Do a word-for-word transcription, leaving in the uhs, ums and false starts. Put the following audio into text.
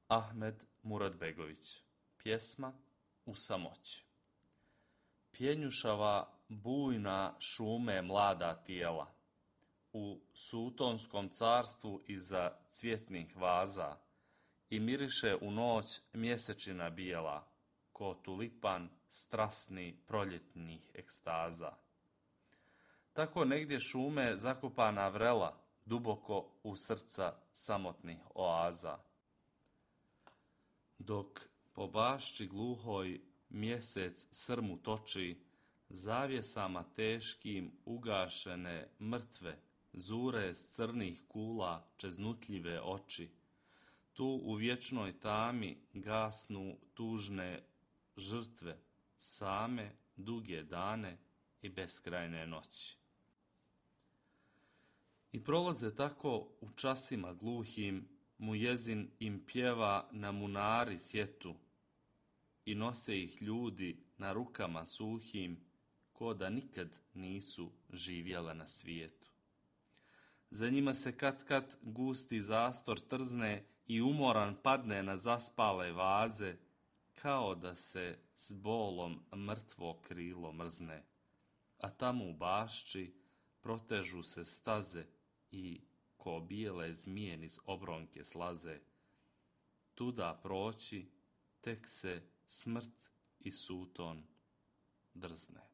Ahmed Muradbegović. Pjesma U samoći. Pjenjušava bujna šume mlada tijela, u sutonskom carstvu iza cvjetnih vaza, i miriše u noć mjesečina bijela, ko tulipan strasni proljetnih ekstaza. Tako negdje šume zakopana vrela, duboko u srca samotnih oaza. Dok po bašči gluhoj mjesec srmu toči, zavjesama teškim ugašene mrtve zure s crnih kula čeznutljive oči. Tu u vječnoj tami gasnu tužne žrtve, same duge dane i beskrajne noći. I prolaze tako u časima gluhim, mujezin im pjeva na munari sjetu, i nose ih ljudi na rukama suhim, ko da nikad nisu živjela na svijetu. Za njima se kad-kad gusti zastor trzne i umoran padne na zaspale vaze, kao da se s bolom mrtvo krilo mrzne, a tamo u bašči protežu se staze i ko bijele zmije niz obronke slaze. Tuda proći tek se smrt i suton drzne.